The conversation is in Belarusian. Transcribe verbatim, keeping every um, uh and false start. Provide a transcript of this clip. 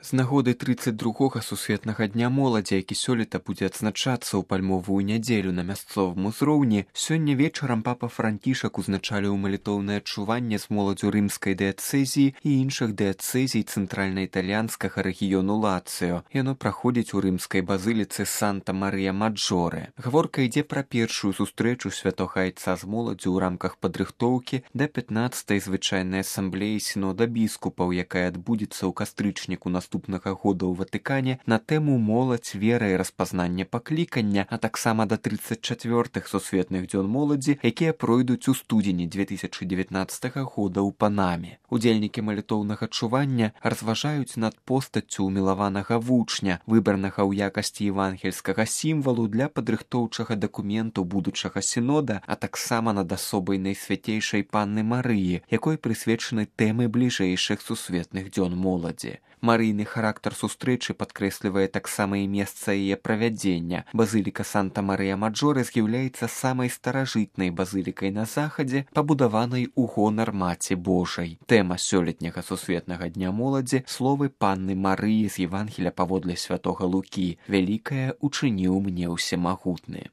З нагоды трыццаць другога сусветнага дня моладзі, які сёлета будзе адзначацца ў пальмовую нядзелю на мясцовым узроўні, сёння вечарам папа Франкішак узначаліў малітоўнае адчуванне з моладзю рымскай дыяцэзіі і іншых дыяцэзій цэнтральна-італьянскага рэгіёну Лацыё. Яно праходзіць у рымскай базыліцы Санта-Марыя-Маджоре. Гаворка ідзе пра першую сустрэчу святога айца з моладзю ў рамках падрыхтоўкі да пятнаццатай звычайнай асамблеі сінода біскупаў, якая адбудзецца ў кастрычніку наступнага года ў Ватыкане на тэму моладзь, вера і распазнання паклікання, а таксама да трыццаць чацвёртых сусветных дзён моладзі, якія пройдуць у студзені дзве тысячы дзевятнаццатага года ў Панаме. Удзельнікі малітоўнага чування разважаюць над постаццю ўмілаванага вучня, выбранага ў якасці евангельскага сімвалу для падрыхтоўчага дакументу будучага сінода, а таксама над асобай найсвяцейшай Панны Марыі, якой прысвечаны тэмы бліжэйшых сусветных дзён моладзі. Марыйны характар сустрэчы падкрэслівае таксама і месца яе правядзення. Базыліка Санта-Марыя-Маджоре з'яўляецца самай старажытнай базылікай на захадзе, пабудаванай у гонар Маці Божай. Тэма сёлетняга сусветнага дня моладзі словы Панны Марыі з Евангеля паводле святога Лукі: «Вялікае учыніў мне ўсемагутны».